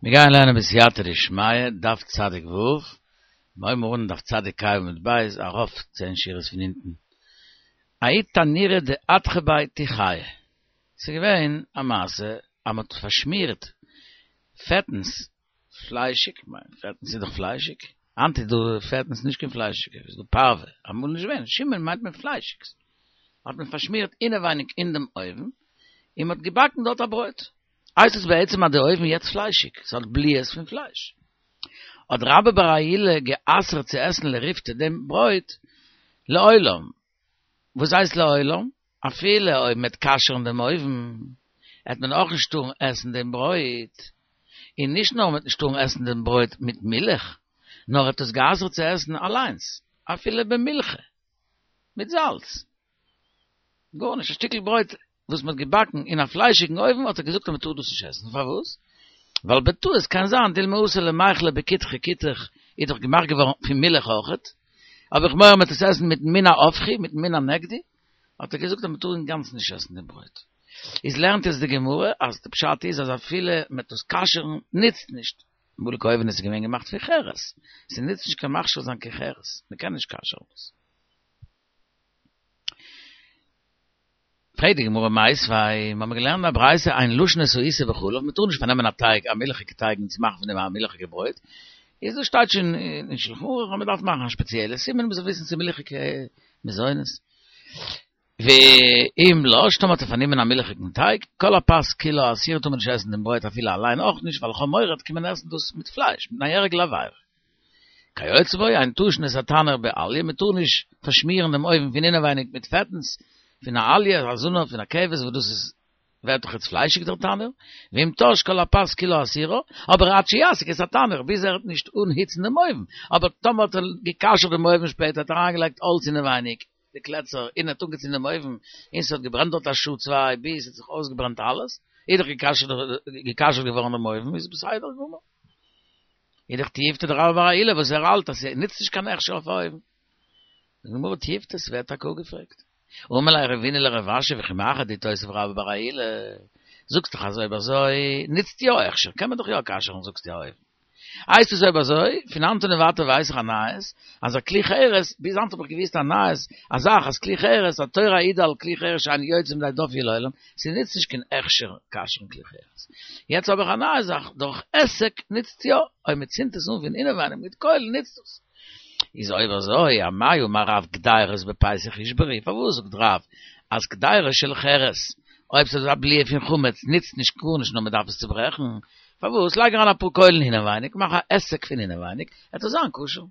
מיר גייען לערנען בסייעתא דשמיא, דף צדיק ו', מיר הייבן אן דף צדיק ה' עמוד ב', ארויף צען שורות פון אונטן. ההוא תנורא דאדכו ביה תיחיא. ס'איז געווען א מעשה אז מ'האט פארשמירט פעטנס פליישיג, כ'מיין פעטנס איז דאך פליישיג, היינט איז דא פעטנס נישט קיין פליישיגע, איז דא פארווע, אמאל נישט געווען, שומן מיינט מען פליישיגס, האט מען פארשמירט אינעווייניג אין דעם אויוון, און מ'האט געבאקן דארט א ברויט. הייסט עס בעצם אז די אויוון יעצט פליישיג, ס'האט בליעות פון פלייש. האט רבה בר עולא גע'אסר'ט צו עסן לריפתא דעם ברויט לעולם. וואס הייסט לעולם? אפילו אויב מ'עט כשר'ן דעם אויוון, עט מען אויך נישט טארן עסן דעם ברויט. און נישט נאר מ'עט נישט טארן עסן דעם ברויט מיט מילך, נאר ער האט עס גע'אסר'ט צו עסן אליינס, אפילו במילחא, מיט זאלץ. גארנישט, א שטיקל ברויט וואס מ'האט געבאקן אין א פליישיגן אויוון האט ער געזאגט אז מ'טאר דאס נישט עסן, פארוואס? ווייל בטעות קען זיין דילמא אתי למיכלה בכותחא כותח איז דאך געמאכט געווארן פון מילך אויכעט, האב איך מורא מ'וועט עס עסן מיטן מין ההפכי, מיטן מין הנגדי, האט ער געזאגט אז מ'טאר אינגאנצן נישט עסן דעם ברויט. איז לערנט יעצט די גמרא אז די פשט איז אז אפילו מ'וועט דאס כשר'ן נוצט נישט, אמאליגע אויוון איז געווען געמאכט פון חרס, ס'נוצט נישט קיין מכשיר זיין קיין חרס, מ'קען נישט כשר'ן דאס. פרעגט די גמרא מיתיבי, מיר האבן געלערנט אין א ברייתא אין לשין את העיסה בחלב, מען טאר נישט פארנעמען א טייג, א מילכיגע טייג און צו מאכן פון דעם א מילכיגע ברויט, איז דאס שטייט שוין אין שלחן ערוך אז מען דארף מאכן א שפעציעלע סימן מען זאל וויסן ס'איז מילכיגע מזונות. ואם לש, טאמער האט ער פארנומען א מילכיגן טייג, כל הפת כולה אסורה טאר מען נישט עסן דעם ברויט אפילו אליין אויך נישט, ווייל איך האב מורא עט קומען עסן דאס מיט פלייש, מפני הרגל עבירה. כיוצא בו, אין תשין את התנור באליה, מען טאר נישט פארשמירן דעם אויוון פון אינעווייניג מיט פעטנס פון א אליה, א זנב פון א כבש וואס דאס איז ווערט דאך יעצט פליישיג דער תנור, ואם תש כל הפת כולה אסורה, אבער עד שיסיק את התנור, ביז ער וועט נישט אנהיצן דעם אויוון, אבער טאמער האט ער גע'כשר'ט דעם אויוון שפעטער האט ער אריינגעלייגט האלץ אינעווייניג, די קלעצער, און ער האט אנגעצינדן דעם אויוון, און ס'האט געברענט דארט א שעה צוויי ביז ס'האט זיך אויסגעברענט אלעס, איז דאך גע'כשר'ט געווארן דעם אויוון, איז בסדר גמור. איז דאך תיובתא דרבה בר עולא וואס ער האלט אז ס'נוצט נישט קיין הכשר אויף א אויוון. די גמרא תיובתא ס'ווערט טאקע אפגעפרעגט. אמר ליה רבינא לרב אשי וכי מאחר דאיתותב רבה בר עולא, זאגסט דאך אז אויב אזוי נוצט יא הכשר, קען מען דאך יא כשר'ן זאגסטו א אויוון. הייסט עס אויב אזוי, פון היינט און ווייטער ווייס איך א נייעס, אז א כלי חרס, ביז היינט האב איך געוואוסט א נייעס, א זאך אז כלי חרס, התורה העידה על כלי חרס שאין יוצא מידי דופי לעולם, ס'נוצט נישט קיין הכשר כשר'ן כלי חרס. יעצט האב איך א נייע זאך, דורך היסק נוצט יא, אויב מ'צינדט עס אן פון אינעווייניג מיט קוילן נוצט עס. איז אויב אזוי, אמאי אמר רב קדירות בפסח ישברו, פארוואס זאגט רב אז קדירה של חרס, אויב ס'איז א בליעה פון חמץ נוצט נישט גארנישט נאר מ'דארף עס צוברעכן, פארוואס? לייג אריין אפאר קוילן אינעווייניג, מאך א היסק פון אינעווייניג, עט עס זיין כשר.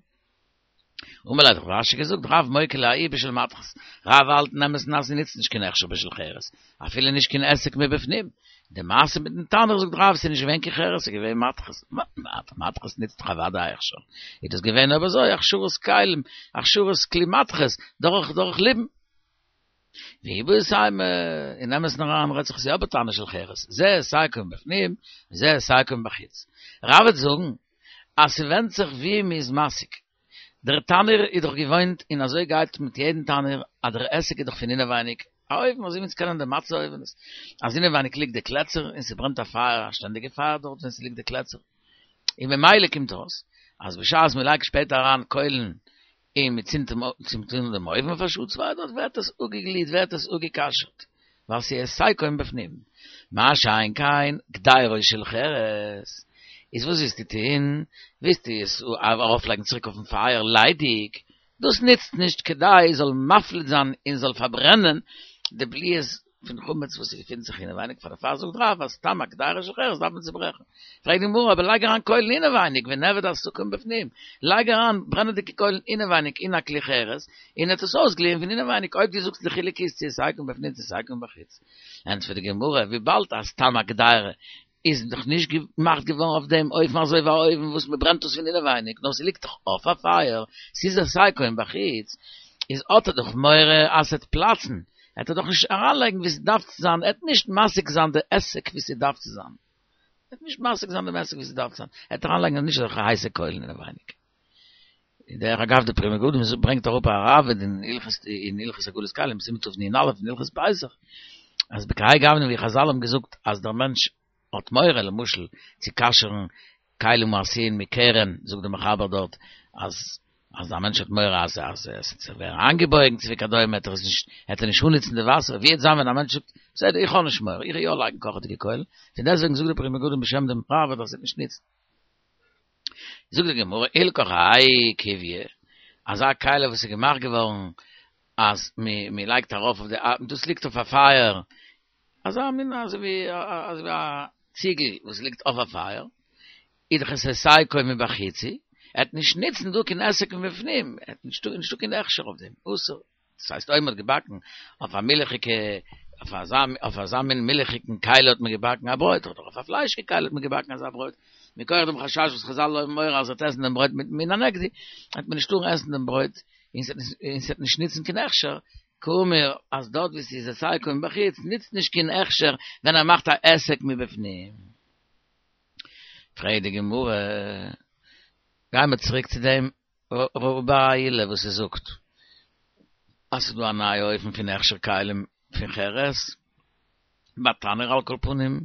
אמר ליה האט רב אשי געזאגט, רב מוקי לה ההיא בשל מתכת, רב האלט אין אמת'ן אז ס'נוצט נישט קיין הכשר בשל חרס, אפילו נישט קיין היסק מבפנים. די מעשה מיטן תנור זאגט רב ס'איז נישט געווען קיין חרס ס'איז געווען מתכת, מתכת נוצט דאך אוודאי הכשר, איז דאס געווען אויב אזוי הכשרת כלים, הכשרת כלי מתכות, דורך דורך ליבון. ואיבעית אימא, אין אמת'ן אריין רעדט זיך עס יא בתנור של חרס, זה היסקו מבפנים, וזה היסקו מבחוץ. רב וועט זאגן אז ס'ווענדט זיך ווי מ'איז מסיק. דער תנור איז דאך געוואוינט און אזוי גייט מיט יעדן תנור אז דער היסק איז דאך פון אינעווייניג, א אויוון אזוי ווי אונז קענען די מצה אויווענעס, אז אינעווייניג ליגט די קלעצער און ס'ברענט א פייער א שטענדיגע פייער דארט ווען ס'ליגט די קלעצער, און ממילא קומט אויס אז בשעת מ'לייגט שפעטער אריין קוילן און מען צינדט אן דעם אויוון אויף א שעה צוויי דארט ווערט עס אפגעגליעט ווערט עס אפגע'כשר'ט ווייל ס'איז היסקו מבפנים מה שאין כן קדירה של חרס איז וואס ווילסטו טוהן ווילסטו עס ארויפלייגן צוריק אויפן פייער ליידיג דאס נוצט נישט כדי זאל מפליט זיין און זאל פארברענען די בליעות פון חמץ וואס ס'געפינט זיך אינעווייניג, פאר דערפאר זאגט רב אז סתם א קדירה של חרס דארף מען צוברעכן. פרעגט די גמרא, אבער לייג אריין קוילן אינעווייניג, ונעביד הסקה מבפנים, לייג אריין ברענעדיגע קוילן אינעווייניג אין א כלי חרס, און עט עס אויסגליען פון אינעווייניג, אויב דו זאגסט די חילוק איז צו היסקו מבפנים צו היסקו מבחוץ. ענטפערט די גמרא, וויבאלד אז סתם א קדירה איז דאך נישט געמאכט געווארן אויף דעם אופן אזוי ווי א אויוון וואס מען ברענט עס פון אינעווייניג, נאר ס'ליגט דאך אויף א פייער, ס'איז היסקו מבחוץ, איז האט ער דאך מורא אז ס'עט פלאצן, עט ער דאך נישט אריינלייגן ווי ס'דארף צו זיין, עט נישט מסיק זיין די היסק ווי ס'דארף צו זיין, עט נישט מסיק זיין דעם היסק ווי ס'דארף צו זיין, עט אריינלייגן נישט אזעלכע הייסע קוילן אינעווייניג. דרך אגב די פרי מגדים ברענגט אראפ א ראב"ד אין הלכות אין הלכות הגעלת כלים סימן תנ"א אין הלכות פסח אז בכהאי גוונא ווי חז"ל האבן געזאגט אז דער מענטש. האט מורא למשל צו כשר'ן כלים העשויים מקרן, זאגט דער מחבר דארט אז אז א מענטש האט מורא אז אז עס וועט זיך ווערן איינגעבויגן צו וכדומה וועט ער עס נישט וועט ער נישט אנהיצן די וואסער, ווי וועט זיין ווען א מענטש זאגט בסדר איך האב נישט מורא איך וועל יא לייגן קאכעדיגע קוילן, פון דעסטוועגן זאגט דער פרי מגדים בשם דעם ראב"ד אז עס וועט נישט ניצן. זאגט די גמרא הלכך האי כיביא, אזא כלי וואס איז געמאכט געווארן אז מען לייגט ארויף אויף די דאס ליגט אויף א פייער, אזא מין אזוי ווי אזוי ווי א ציגל וואס ליגט אויף א פייער, איז דאך עס היסקו מבחוץ הוא, ער וועט נישט ניצן דא קיין היסק מבפנים, ער האט נישטא נישטא קיין הכשר אויף דעם, אסור. דאס הייסט אויב מען האט געבאקן אויף א מילכיגע אויף אזא אויף אזא מין מילכיגן כלי האט מען געבאקן א ברויט, אדער אויף א פליישיגע כלי האט מען געבאקן אזא ברויט, מכח דעם חשש וואס חזל האבן מורא אז ער וועט עסן דעם ברויט מיט מן הנגדי, וועט מען נישט טארן עסן דעם ברויט און ס'וועט נישט ניצן קיין הכשר, קאמר אז דארט וואו ס'איז היסקו מבחוץ ניצט נישט קיין הכשר ווען ער מאכט א היסק מבפנים. פרעגט די גמרא, גיימער צוריק צו דעם רבא בר עילאי וואס ער זאגט אז ס'איז דא א נייע אופן פון הכשר כלים פון חרס, בתנור על כל פנים,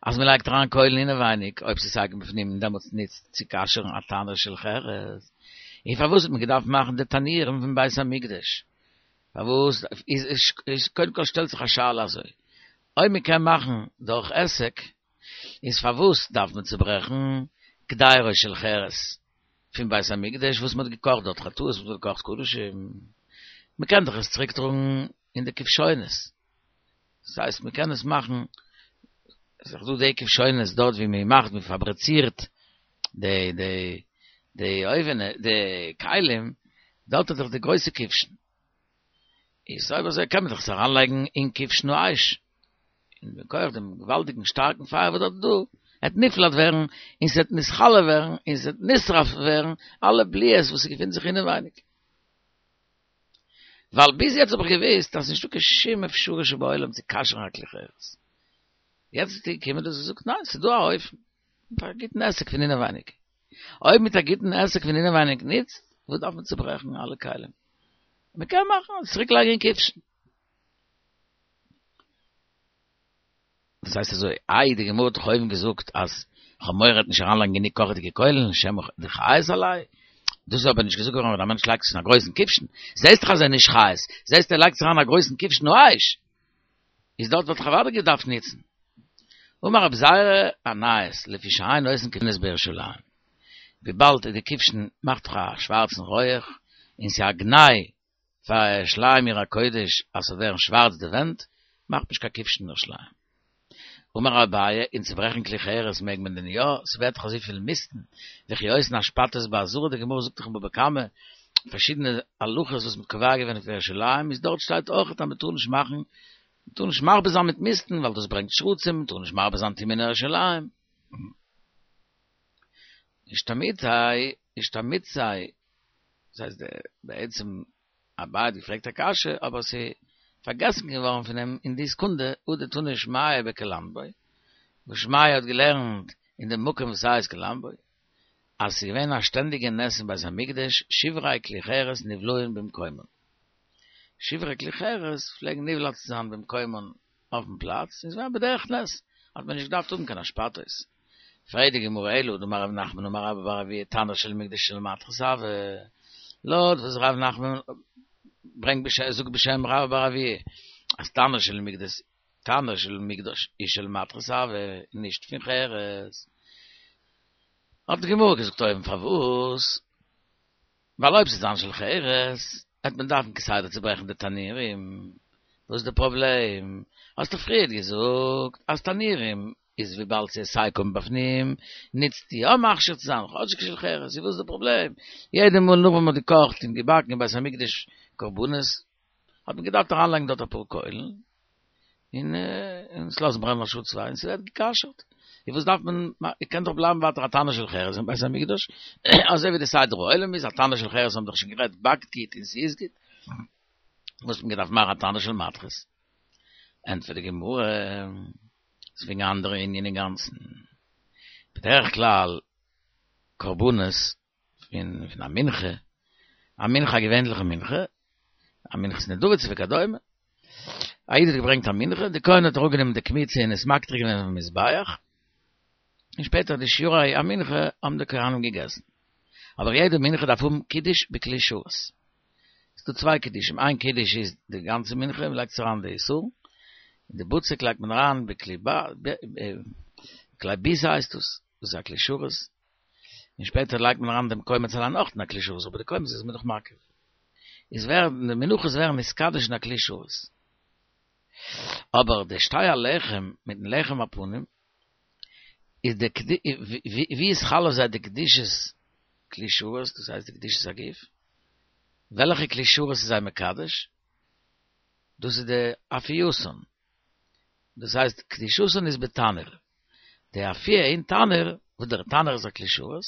אז מ'לייגט אריין קוילן אינעווייניג, אויב ס'איז היסקו מבפנים און דעמאלטס ניצט צו כשר'ן א תנור של חרס, און פארוואס האט מען געדארפט מאכן די תנורים פון בית המקדש? פארוואס איז קודם כל שטעלט זיך א שאלה אזוי, אויב מ'קען מאכן דורך היסק, איז פארוואס דארף מען צוברעכן קדירו של חרס פון בית המקדש וואס מען האט געקאכט דארט חטאות וואס מען האט געקאכט קדשים, מען קען דאך עס צוריק טראגן אין די כבשונות, דאס הייסט מען קען עס מאכן, עס איז דאך דא די כבשונות דארט ווי מען מאכט מען פאבריצירט די די די אויווענע די כלים, דארט איז דאך די גרויסע כבשן. איז אויב אזוי קען מען דאך עס אריינלייגן אין כבשן האש, און מכח דעם געוואלדיגן שטארקן פייער וואס דארט איז דא, וועט נפלט ווערן, און ס'וועט נתכלה ווערן, און ס'וועט נשרף ווערן אלע בליעות וואס ס'געפינט זיך אינעווייניג. ווייל ביז יעצט האב איך געוואוסט אז ס'נישטא קיין שום אפשרות שבעולם צו כשר'ן א כלי חרס. יעצט איז געקומען דאס און זאגט ניין, ס'איז דא א אופן, מיט א גוטן היסק פון אינעווייניג. אויב מיט א גוטן היסק פון אינעווייניג ניצט, וואס דארף מען צוברעכן אלע כלים? מען קען מאכן צוריק לייגן אין כבשן. דאס הייסט אזוי, איי די גמרא האט דאך אויבן געזאגט אז כ'האב מורא ער וועט נישט אריינלייגן גענוג קאכעדיגע קוילן, שמא דחייס עליה, דאס איז אבער נישט געזאגט געווארן ווען א מענטש לייגט עס אין א גרויסן כבשן, זעסט דאך אז ער איז נישט חייס, זעסט ער לייגט עס אריין אין א גרויסן כבשן האש, איז דארט וואלט איך אוודאי געדארפט ניצן. אמר רב זירא א נייעס, לפי שאין עושין כבשונות בירושלים. וויבאלד די כבשן מאכט דאך א שווארצן רויעך, און ס'איז א גנאי פאר ירושלים עיר הקודש אז ס'זאל ווערן שווארץ די ווענט, מאכט מען נישט קיין כבשן אין ירושלים. אמר אביי, און צוברעכן כלי חרס מעג מען דען יא? ס'ווערט דאך אזויפיל מיסטן, וכי עושין אשפתות בעזרה, די גמרא זאגט דאך אין בבא קמא פארשידענע הלכות וואס מ'האט קובע געווען אויף ירושלים, איז דארט שטייט אויך אז מ'טאר נישט מאכן, מ'טאר נישט מרבה זיין מיט מיסטן ווייל דאס ברענגט שרצים, מ'טאר נישט מרבה זיין טומאה אין ירושלים. אישתמיטתיה, אישתמיטתיה, דאס הייסט בעצם אביי האט געפרעגט א קשיא אבער ס'איז פארגעסן געווארן פון אים אין די סעקונדע הא דתני שמעיה בקלמבו, וואס שמעיה האט געלערנט אין דעם מקום וואס הייסט קלמבו, אז ס'איז געווען א שטענדיגע נס אין בית המקדש שברי כלי חרס נבלעין במקומן. שברי כלי חרס פלעגן נבלע צו זיין במקומן אויפן פלאץ, און ס'איז געווען בדרך נס, האט מען נישט געדארפט האבן קיין אשפתות. פרעגט די גמרא אלא הא דאמר רב נחמן אמר רבה בר אבוה תנור של מקדש של מתכות הוי, לויט וואס רב נחמן ברענגט בשם זאגט בשם רבה בר אבוה אז תנור של מקדש תנור של מקדש איז של מתכות הוי נישט פון חרס. האט די גמרא געזאגט אויבן פארוואס? ווייל אויב ס'איז זיין של חרס, וועט מען דארפן כסדר צוברעכן די תנורים, וואס איז די פראבלעם? האסט דאך פריערט געזאגט אז תנורים איז וויבאלד ס'איז היסקו מבפנים, נוצט יא מכשיר צו זיין כאטשיג של חרס, איז וואס איז די פראבלעם? יעדע מאל נאך ווען מ'האט געקאכט און געבאקן אין בית המקדש קרבנות, האט מען געדארפט אריינלייגן דארט אפאר קוילן, און און עס לאזן ברענען א שעה צוויי און ס'ווערט גע'כשר'ט. און וואס דארף מען, קען דאך בלייבן ווייטער א תנור של חרס אין בית המקדש, אזוי ווי די סדר העולם איז, א תנור של חרס האבן דאך שוין גערעדט באקט גוט און ס'איז גוט, וואס האט מען געדארפט מאכן א תנור של מתכות? ענטפערט די גמרא, ס'איז וועגן א אנדערע ענין אינגאנצן. בדרך כלל קרבנות פון פון א מנחה, א מנחה א געווענליכע מנחה, א מנחת נדבה צו וכדומה, א איד האט געברענגט א מנחה, די כהן האט אראפגענומען די קמיצה און עס מקטיר געווען אויפן מזבח. און שפעטער די שירי המנחה האבן די כהנים געגעסן. אבער יעדע מנחה דארף האבן קידוש בכלי שרת. ס'איז דא צוויי קידושים, איין קידוש איז די גאנצע מנחה, מען לייגט עס אריין די איסור, און די בצק לייגט מען אריין בכלי בכלי ביזה הייסט דאס, דאס איז א כלי שרת, און שפעטער לייגט מען אריין דעם קומץ אליין אויך אין א כלי שרת, אבער די קומץ איז מען דאך מקיף. איז ווערן די מנחות ווערן נתקדש אין א כלי שרת. אבער די שתי הלחם מיטן לחם הפנים, איז די ווי איז חל אויף זיי די קדושת כלי שרת, דאס הייסט די קדושת הגוף, וועלכע כלי שרת איז זיי מקדש? דאס איז די אפייתן, דאס הייסט קדושתן איז בתנור, די אפיה אין תנור, וואס דער תנור איז א כלי שרת,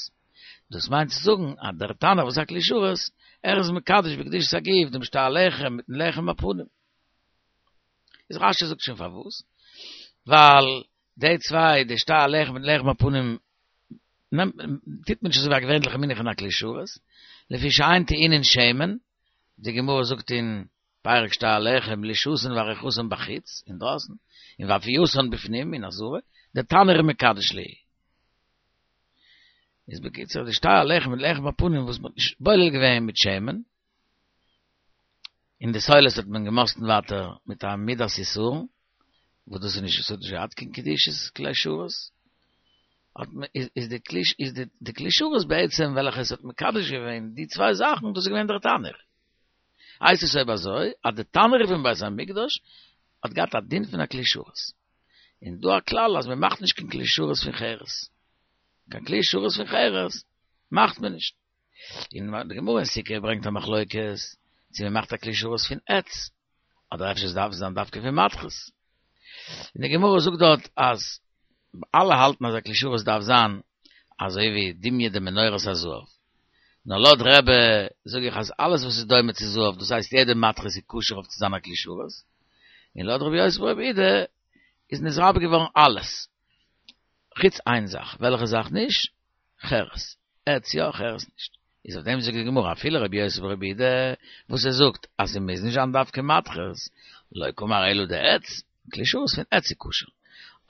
דאס מיינט צו זאגן אז דער תנור וואס איז א כלי שרת, ער איז מקדש בקדושת הגוף דעם שתי הלחם מיטן לחם הפנים. איז רשי זאגט שוין פארוואס, ווייל די צוויי, די שתי הלחם מיטן לחם הפנים, נעמט טוט מען נישט אזוי ווי א געווענליכע מנחה אין א כלי שרת, לפי שאין טעונין שמן, די גמרא זאגט אין פרק שתי הלחם לישתן ועריכתן בחוץ, אינדרויסן, און ואפייתן בפנים, אין עזרה, דתנור מקדש להו. איז בקיצור די שתי הלחם מיט לחם הפנים וואס מ'האט נישט בולל געווען מיט שמן, און די סולת האט מען געמאסטן ווייטער מיט א מידת עישורון, וואס דאס איז נישט, עס האט נישט געהאט קיין קדושת כלי שרת, האט מען, איז די כלי, איז די כלי שרת בעצם וועלכע עס האט מקדש געווען די צוויי זאכן, דאס איז געווען דער תנור. הייסט עס אויב אזוי, אז די תנור פון בית המקדש האט געהאט א דין פון א כלי שרת. און דא א כלל אז מען מאכט נישט קיין כלי שרת פון חרס. קיין כלי שרת פון חרס מאכט מען נישט. און די גמרא אין סוכה ברענגט א מחלוקת צו מען מאכט א כלי שרת פון עץ, אדער אפשר עס דארף זיין דווקא פון מתכות. און די גמרא זאגט דארט אז אלע האלטן אז א כלי שרת דארף זיין אזוי ווי דומיא דמנורת הזהב. נאר לויט רבי זאג איך אז אלעס וואס איז דומה צו זהב, דאס הייסט יעדע מתכות איז כשר אויף צו זיין א כלי שרת. און לויט רבי יוסי ברבי יהודה איז נתרבה געווארן אלעס, חוץ איין זאך, וועלכע זאך נישט? חרס. עץ יא, חרס נישט. איז אויף דעם זאגט די גמרא אפילו רבי יוסי ברבי יהודה וואס ער זאגט אז ס'מוז נישט זיין דווקא מתכות, לא קאמר אלא דעץ, כלי שרת פון עץ איז כשר,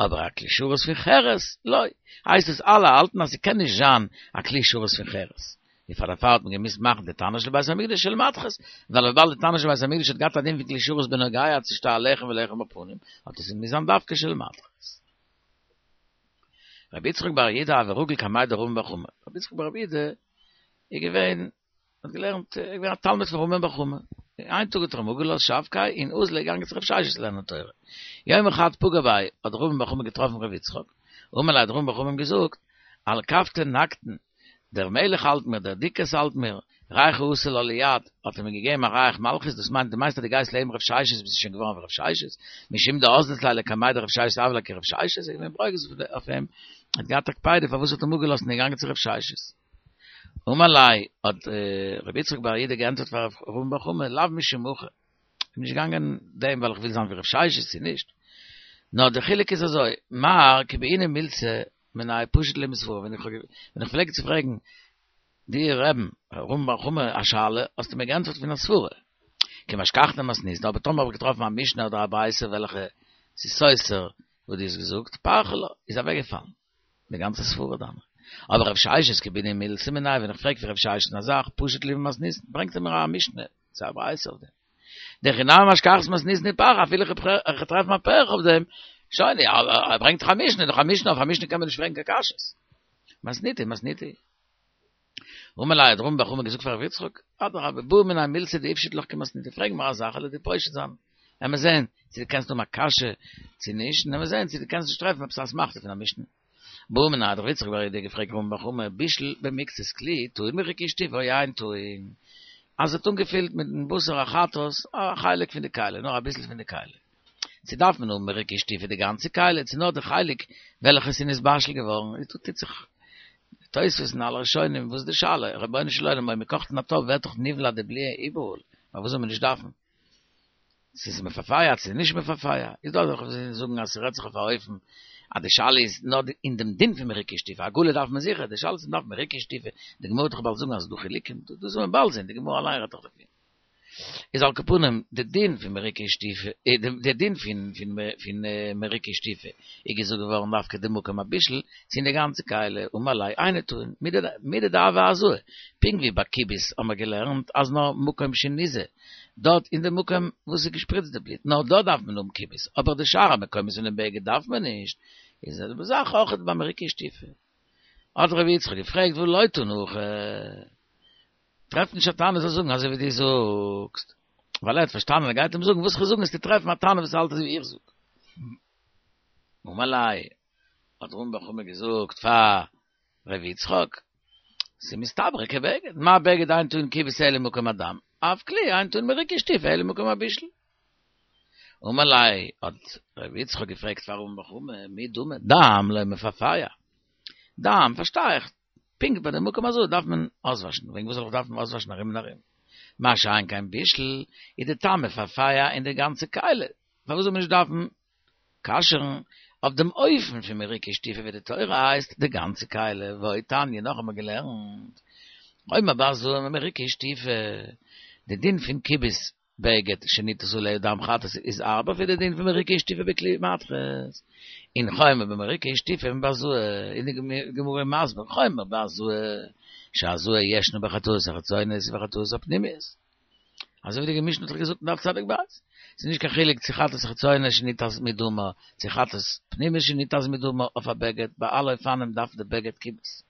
אבער א כלי שרת פון חרס לא. הייסט עס אלע האלטן אז ס'קען נישט זיין א כלי שרת פון חרס. און פאר דערפאר האט מען געמוזט מאכן די תנור של בית המקדש של מתכות, ווייל וויבאלד די תנור של בית המקדש האט געהאט א דין פון כלי שרת בנוגע צו שתי הלחם ולחם הפנים, האט עס געמוזט זיין דווקא של מתכות. רבי יצחק בר יהודה הוה רגיל קמיה דרמי בר חמא, רבי יצחק בר יהודה איז געווען, האט געלערנט, איז געווען א תלמיד פון רמי בר חמא, איין טאג האט ער אים אפגעלאזט שבקיה און אזל איז געגאנגען צו רב ששת לערנען תורה, יומא חד פגע ביה האט רמי בר חמא געטראפן רבי יצחק, אמר ליה האט רמי בר חמא אים געזאגט, על כפתין נקטן, דער מלך האלט מיר, דער דוכס האלט מיר, ריחא אתא לה ליד, האט ער מיר געגעבן א ריח מלכות, דאס מיינט, דו מיינסט אז דו גייסט לעבן רב ששת ביסטו שוין געווארן ווי רב ששת, משום דאזלת ליה לקמיה דרב ששת הוה ליה כרב ששת, איז ער געווען ברוגז אויף אים, האט געהאט א קפידה פארוואס האט אים אפגעלאזט און איז געגאנגען צו רב ששת. אמר ליה, האט רבי יצחק בר יהודה געענטפערט פאר רמי בר חמא, לאו משום הכי, איך בין נישט געגאנגען דעם ווייל איך וויל זיין ווי רב ששת צו נישט, נאר דער חילוק איז אזוי, מר כי בעינא מילתא מיניה פשיט לי מסברא, ווען איך ווען איך פלעג צו פרעגן דיר רבי'ן רמי בר חמא א שאלה, האסטו מיר געענטפערט פון א סברה. כי משכחנא מתניתין, אבער טאמער האב איך געטראפן א משנה אדער א ברייתא וועלכע ס'איז סותר וואס דו האסט געזאגט, פרכא לה, איז אוועקגעפאלן די גאנצע סברה דיינע. אבער רב ששת כי בעינא מילתא מיניה, ווען איך פרעג פון רב ששת א זאך, פשיט לי ממתניתין, ברענגט ער מיר א משנה צו א ברייתא אויף דעם. דהכי נמי משכחת מתניתין ופרכא, אפילו איך טרעף א פירכא אויף דעם, שוין, ער ברענגט דאך א משנה, דאך א משנה, אויף א משנה קען מען נישט פרעגן קיין קשיות. מתניתא, מתניתא. אמר ליה האט רמי בר חמא געזאגט פאר ר' יצחק, אדרבה, בעי מיני מילתא דאיפשיטא לך כמתניתא, פרעג מיר א זאך, כ'וועל דיר פושט זיין, עמער זען צו דו קענסט האבן א קשיא צו נישט, און עמער זען צו דו קענסט נישט טרעפן עפעס א אסמכתא פון א משנה. בעא מיניה האט ר' יצחק בר יהודה געפרעגט רמי בר חמא, בישל במקצת כלי, טעון מריקה ושטיפה או אין טעון, אז ער האט אנגעפילט מיטן בשר החטאת א חלק פון די כלי, נאר אביסל פון די כלי, צו דארף מען האבן מריקה ושטיפה די גאנצע כלי, צו נאר די חלק וועלכע ס'איז נתבשל געווארן, איז דא טוט זיך תוספות און אלע ראשונים, וואס איז די שאלה, רבונו של עולם אויב מ'קאכט אין א טאפ ווערט דאך נבלע די בליעה איבעראל, פארוואס זאל מען נישט דארפן? ס'איז מפאפאיא צו נישט מפאפאיא, איז דא אזעלכע וואס זאגן אז ס'רעדט זיך אויף א אופן אז די שאלה איז נאר אין דעם דין פון מריקה ושטיפה, הגעלה דארף מען זיכער, די שאלה איז צו מ'דארף מריקה ושטיפה, די גמרא וועט דאך באלד זאגן אז ס'איז דא חילוקים, דאס וועט מען באלד זען, די גמרא אליין רעדט דאך דערפון. איז על כל פנים די דין פון מריקה שטיפה, די דין פון פון מריקה שטיפה איז געזאגט געווארן דווקא די מקום הבישול, צו אין די גאנצע כלי, אמר ליה אינו טעון, מידי דהוה הזאה, פונקט ווי ביי כיבוס האמער געלערנט אז נאר מקום שניזה, דארט אין די מקום וואס איז געשפריצט די בלוט, נאר דארט דארף מען האבן כיבוס, אבער די שאר המקומות פונעם בגד דארף מען נישט, איז די זעלבע זאך אויך ביי מריקה שטיפה. האט רבי יצחק געפרעגט והא לא תנא הכי? טרעפט נישט א תנא זאל זאגן אזוי ווי דו זאגסט, ווייל ער האט פארשטאנען ער גייט אים זאגן וואס איך זאג וועסטו טרעפן א תנא וואס האלט אזוי ווי איך זאג. אמר ליה, האט רמי בר חמא געזאגט פאר ר' יצחק, ס'מסתברא כבגד, מה בגד אין טעון כיבוס אלא מקום הדם, אף כלי אין טעון מריקה ושטיפה אלא מקום הבישול. אמר ליה, האט ר' יצחק געפרעגט פאר רמי בר חמא, מי דמי, דם לא מפרפע. דם, פארשטיי איך, פונקט ביי די מקום הזאה דארף מען אויסוואשן, וועגן וואס זאל איך דארפן אויסוואשן ארום און ארום? מה שאין כן בישול, איז די טעם מפרפע אין די גאנצע כלי, פארוואס זאל מען נישט דארפן כשר'ן אויף דעם אופן פון מריקה ושטיפה ווי די תורה הייסט די גאנצע כלי, ועוד תניא נאך האבן מיר געלערנט, חומר בהזאה ממריקה ושטיפה, די דין פון כיבוס בגד שניתז עליה דם חטאת איז הארבער פון די דין פון מריקה ושטיפה בכלי מתכות, און חומר במריקה ושטיפה מבהזאה, איז די גמרא מסביר חומר בהזאה, שהזאה ישנה בחטאות החיצוניות ובחטאות הפנימיות. אזוי ווי די משנה האט דאך געזאגט אין דף צדיק ב', ס'איז נישט קיין חילוק צו חטאת חיצונית שניתז מדמה, צו חטאת פנימית שניתז מדמה אויף א בגד, ביי אלע אופנים דארף די בגד כיבוס.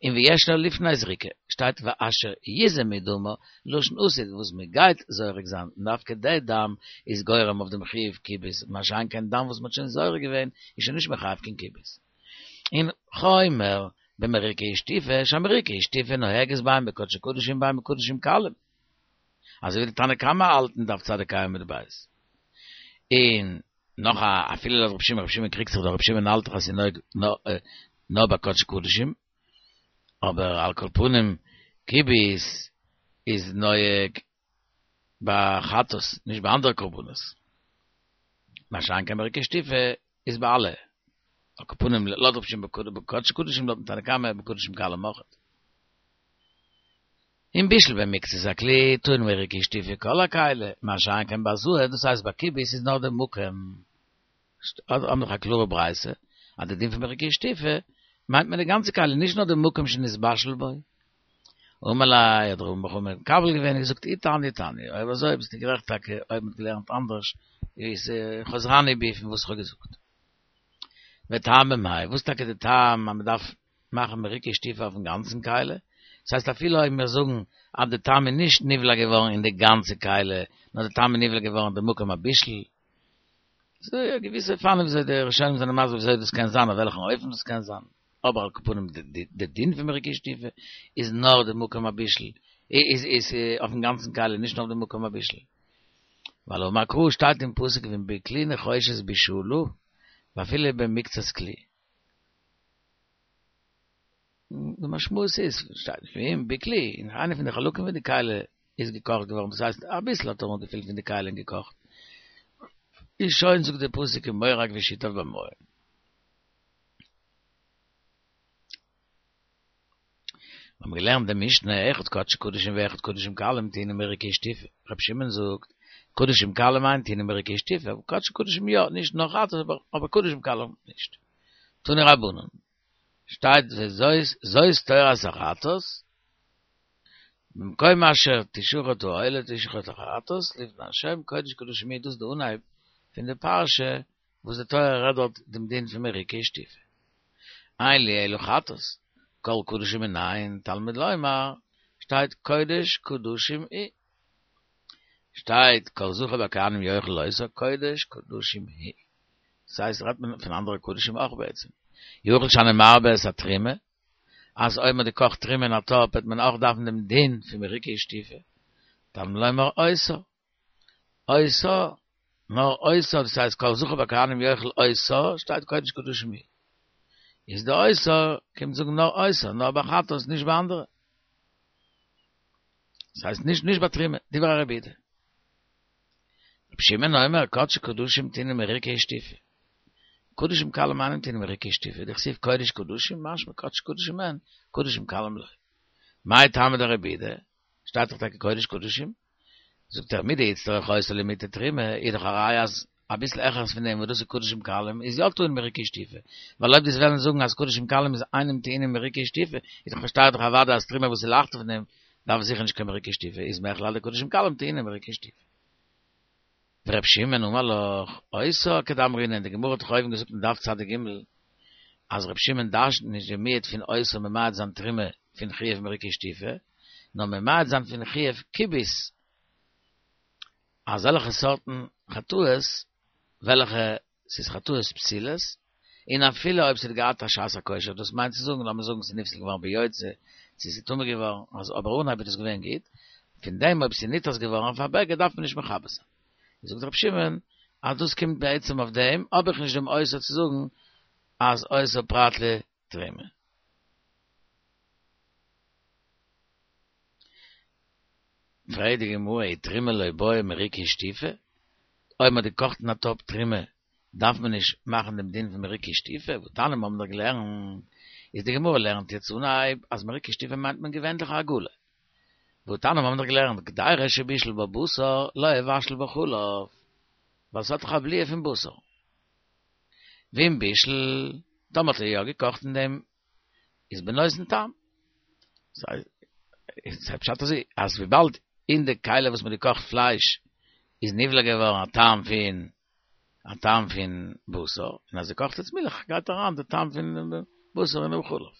און וישנה לפני זריקה, שטייט ואשר יזה מדמה, לשון עתיד וואס מען גייט זורק זיין, און דווקא די דם איז גורם אויף דעם חיוב כיבוס, מה שאין כן דם וואס מען האט שוין זורק געווען איז שוין נישט מחייב קיין כיבוס. און חומר במריקה ושטיפה, שהמריקה ושטיפה נוהגת בין בקדשי קדשים בין בקדשים קלים. אזוי ווי די תנא קמא האלט אין דף צדיק ה' עמוד ב'. און נאך א אפילו לויט רבי שמעון, רבי שמעון קריגט זיך דאך, רבי שמעון האלט דאך אז ס'איז נוהג נאר ביי קדשי קדשים, אבער על כל פנים כיבוס איז נוהג ביי חטאת, נישט ביי אנדערע קרבנות. מה שאין כן מריקה ושטיפה איז ביי אלע. על כל פנים לויט רבי שמעון בקדשי קדשים לויטן תנא קמא בקדשים קלים אויכעט. און בישול במקצת הכלי טעון מריקה ושטיפה כל הכלי, מה שאין כן בהזאה, דאס הייסט ביי כיבוס איז נאר די מקום. האבן דאך א קלארע ברייתא אז די דין פון מריקה ושטיפה מיינט מען די גאנצע כלי נישט נאר די מקום שנתבשל בו. אמר ליה האט רמי בר חמא מקבל געווען און געזאגט אי תניא תניא, אויב אזוי ביסטו גערעכט טאקע אויב מ'האט געלערנט אנדערש איז חוזרני בי פון וואס איך האב געזאגט. וטעמא מאי, וואס טאקע די טעם אז מ'דארף מאכן מריקה ושטיפה אויפן גאנצן כלי? דאס הייסט אפילו אויב מיר זאגן אז די טעם איז נישט נבלע געווארן אין די גאנצע כלי, נאר די טעם איז נבלע געווארן אין די מקום הבישול, ס'דא געוויסע אופנים וויאזוי די ראשונים זענען מסביר וויאזוי דאס קען זיין אויף וועלכן אופן דאס קען זיין, אבער על כל פנים די דין פון מריקה ושטיפה איז נאר די מקום הבישול, איז איז אויפן גאנצן כלי נישט נאר אויף די מקום הבישול. ווייל אמר קרא שטייט אין פסוק ואם בכלי נחושת בישלו ואפילו במקצת כלי. די משמעות איז, שטייט ואם בכלי, אין איינע פון די חלקים פון די כלי איז געקאכט געווארן, דאס הייסט אביסל האט ער אנגעפילט פון די כלי און געקאכט, איז שוין זאגט די פסוק ומורק ושיטף במים. מיר האבן געלערנט די משנה, אחד קדשי קדשים ואחד קדשים קלים טעונין מריקה ושטיפה, רבי שמעון זאגט, קדשים קלים אין טעונין מריקה ושטיפה, אבער קדשי קדשים יא, נישט נאר חטאת אבער קדשים קלים נישט. תנו רבנן. שטייט וזאת זאת תורת החטאת, במקום אשר תשחט העולה תשחט החטאת לפני השם קודש קדשים היא, דאס איז די אנהייב פון די פרשה וואס די תורה רעדט דארט דעם דין פון מריקה ושטיפה. אין לי אלא חטאת, כל קדשים מנין, תלמוד לומר, שטייט קודש קדשים היא. שטייט כל זכר בכהנים יאכל אותה קודש קדשים היא. דאס הייסט רעדט מען פון אנדערע קדשים אויך בעצם. יכול שאני מרבה את התרומה, אז אויב מען האט געקאכט תרומה אין א טאפ וועט מען אויך דארפן דעם דין פון מריקה ושטיפה. תלמוד לומר אותה. אותה, נאר אותה, דאס הייסט כל זכר בכהנים יאכל אותה, שטייט קודש קדשים היא. איז די אותה קומט זאגן נאר אותה, נאר ביי חטאת נישט ביי אנדערע. דאס הייסט נישט נישט ביי תרומה, דברי רבי יהודה. רבי שמעון אומר קדשי קדשים טעונין מריקה ושטיפה. קדשים קלים אינן טעונין מריקה ושטיפה, דכתיב קודש קדשים משמע קדשי קדשים אין, קדשים קלים לא. מאי טעמא דרבי יהודה? שטייט דאך טאקע קודש קדשים. זאגט ער מדאיצטריך אותה למעוטי תרומה, איז דאך א ראיה אז אביסל העכערס פון דעם וואס דאס איז קדשים קלים איז יא טעון מריקה ושטיפה, ווייל אויב דו'סט וועלן זאגן אז קדשים קלים איז אינם טעונים מריקה ושטיפה, איז דאך פארשטייט דאך אוודאי אז תרומה וואס איז לייכטער פון דעם דארף זיכער נישט קיין מריקה ושטיפה, איז מכלל דקדשים קלים טעונים מריקה ושטיפה. ור' שמעון אמר לך, אותה כדאמרינן, די גמרא האט דאך אויבן געזאגט אין דף צ"ג אז ר' שמעון דרש'נט נישט די מיעוט פון אותה ממעט זיין תרומה פון חיוב מריקה ושטיפה, נאר ממעט זיין פון חיוב כיבוס אזעלכע סארטן חטאות וועלכע ס'איז חטאות פסולות, און אפילו אויב ס'האט געהאט א שעת הכושר, דאס מיינט צו זאגן, לאמיר זאגן ס'איז נפסל געווארן ביוצא, צו ס'איז טמא געווארן, אז אבער אנהייב איז דאס געווען גוט, פון דעם אויב ס'איז נתעס געווארן אויף א בגד דארף מען נישט מכבס זיין. זאגט רבי שמעון אז דאס קומט בעצם אויף דעם, האב איך נישט דעם אותה צו זאגן אז אותה פרט לתרומה. פרעגט די גמרא ותרומה לא בעיא מריקה ושטיפה, אויב מ'האט געקאכט אין א טאפ תרומה דארף מען נישט מאכן דעם דין פון מריקה ושטיפה, והתניא מ'האבן דאך געלערנט, איז די גמרא לערנט יעצט אנהייב אז מריקה ושטיפה מיינט מען געווענליך א הגעלה, והתניא מ'האבן דאך געלערנט קדירה שבישל בה בשר לא יבשל בה חלב, ווייל ס'האט דאך א בליעה פון בשר. ואם בישל, טאמער האט ער יא געקאכט אין דעם איז בנותן טעם. איז פשט אזוי, אז וויבאלד אין די כלי וואס מ'האט געקאכט פלייש איז נבלע געווארן א טעם פון א טעם פון בשר, און אז דו קאכסט יעצט מילך גייט אריין די טעם פון בשר אינעם חלב.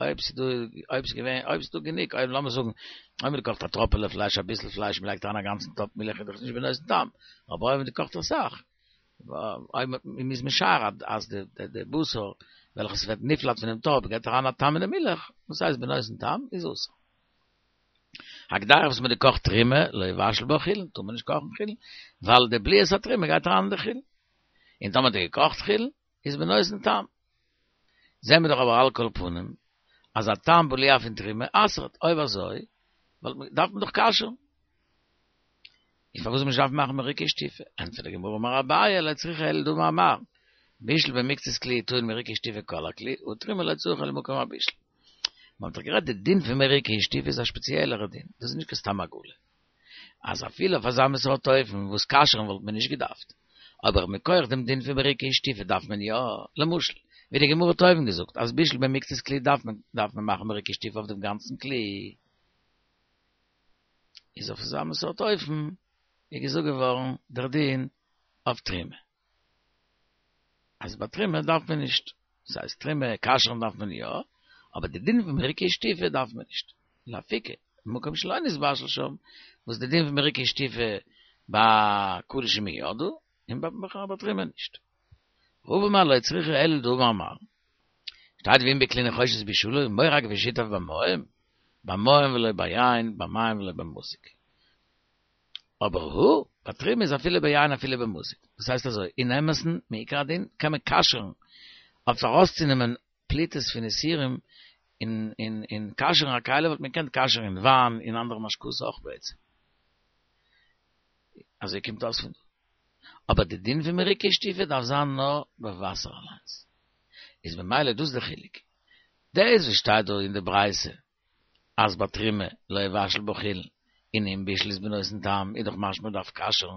אויב ס'איז דא, אויב ס'איז געווען, אויב ס'איז דא גענוג, אויב לאמיר זאגן, אויב מ'האט געקאכט א טראפעלע פלייש, אביסל פלייש, מ'לייגט אריין א גאנצן טאפ מילך איז דאך נישט בנותן טעם, אבער אויב מ'האט געקאכט אסאך, אויב מ'איז משער אז די בשר וועלכע ס'ווערט נפלט פונעם טאפ געבט אריין א טעם אין די מילך, וואס הייסט בנותן טעם, איז אסור. הקדירה וואס מ'האט געקאכט תרומה, לא יבשל בה חולין, טאר מען נישט קאכן חולין, ווייל די בליעת התרומה גייט אריין אין די חולין. און טאמער האט ער געקאכט חולין, איז בנותן טעם. זעהן מיר דאך אבער על כל פנים, אז א טעם בליעה פון תרומה אסר'ט, אויב אזוי, דארף מען דאך כשר'ן. איז פארוואס זאל מען נישט דארפן מאכן מריקה ושטיפה? ענטפערט די גמרא אמר אביי לא צריכא אלא דאמר מר, בישל במקצת כלי טעון מריקה ושטיפה כל הכלי, ותרומה לא צריכה למקום הבישול. מען האט דאך גערעדט די דין פון מריקה ושטיפה איז א שפעציעלערע דין, דאס איז נישט קיין סתם הגעלה. אז אפילו אויף אזא מין סארט אופן וואס כשר'ן וואלט מען נישט געדארפט, אבער מכח דעם דין פון מריקה ושטיפה דארף מען יא, למשל, ווי די גמרא האט אויבן געזאגט אז בישל במקצת כלי דארף מען דארף מען מאכן מריקה ושטיפה אויף דעם גאנצן כלי. איז אויף אזא מין סארט אופן איז געזאגט געווארן דער דין אויף תרומה. אז ביי תרומה דארף מען נישט, דאס הייסט תרומה כשר'ן דארף מען יא, אבער די דין פון מריקה ושטיפה דארף מען נישט. לאפוקי, מקום שלא נתבשל שם, וואס די דין פון מריקה ושטיפה ביי קדשים איז יא דא, און ביי תרומה נישט. רבא אמר לא צריכא אלא דאמר מר. שטייט ואם בכלי נחושת בישלו, מורק ושיטף במים, במים ולא ביין, במים ולא במזוג. אבער הא, ביי תרומה איז אפילו ביין אפילו במזוג. דאס הייסט אזוי, אין אמת'ן, מעיקר הדין, קען מען כשר'ן אויף ארויסצונעמען פליטות פון איסורים און און און כשר'ן א כלי וואלט מען געקענט כשר'ן אין וויין און אנדערע משקאות אויך בעצם. אזוי קומט אויס פון דא. אבער די דין פון מריקה ושטיפה דארף זיין נאר ביי וואסער אליינס. איז ממילא דאס די חילוק. דאס וואס שטייט דא אין די ברייתא אז ביי תרומה לא יבשל בה חולין און אם בישל איז בנותן טעם איז דאך משמע מ'דארף כשר'ן.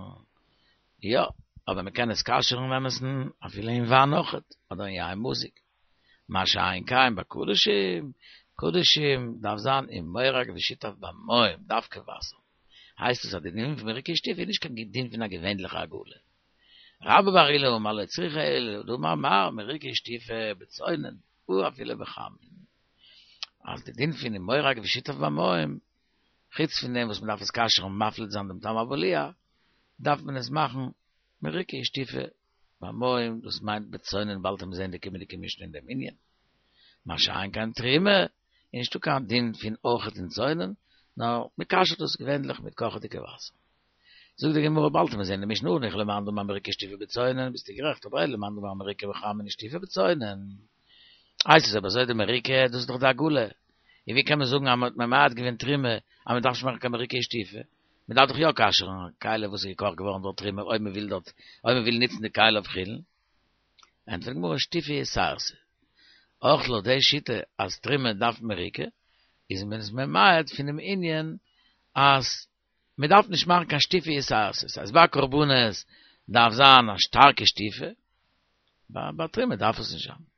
יא, אבער מ'קען עס כשר'ן אין אמת'ן אפילו אין וויין אויכעט, אדער אין יין מזוג. מה שאין כן ביי קדשים, קדשים דארף זיין אין מורק ושיטף במים, דווקא וואסער. הייסט עס אז די דין פון מריקה ושטיפה איז נישט קיין דין פון א געווענליכע הגעלה. רבה בר עולא אמר לא צריכא אלא דאמר מר מריקה ושטיפה בצונן ואפילו בחמין. אז די דין פון מורק ושיטף במים, חוץ פון דעם וואס מען דארף עס כשר'ן און מפליט זיין דעם טעם הבליעה, דארף מען עס מאכן מריקה ושטיפה במים, דאס מיינט בצונן באלד וועט מען זען די קומענדיגע משנה אין דעם ענין. מה שאין כן תרומה, איז נישטא קיין דין פון אויכעט אין צונן, נאר מען כשר'ט דאס געווענליך מיט קאכעדיגע וואסער. זאגט די גמרא באלד וועט מען זען די משנה הניחא למאן דאמר מריקה ושטיפה בצונן, ביסטו גערעכט, אבער אלא למאן דאמר מריקה בחמין ושטיפה בצונן. הייסט עס אויב אזוי די מריקה, דאס איז דאך די הגעלה. און ווי קען מען זאגן אז מען האט ממעט געווען תרומה אז מען דארף נישט מאכן קיין מריקה ושטיפה? מען דארף דאך יא כשר'ן א כלי וואס איז געקאכט געווארן דורך תרומה אויב מען וויל דארט אויב מען וויל נוצן די כלי אויף חולין. ענטפערט די גמרא שטיפה יתירתא. אויך לויט די שיטה אז תרומה דארף מריקה, איז מען עס ממעט פונעם ענין אז. מען דארף נישט מאכן קיין שטיפה התערתות, אז ביי קרבנות דארף זיין א שטארקע שטיפה, ביי תרומה דארף עס נישט זיין.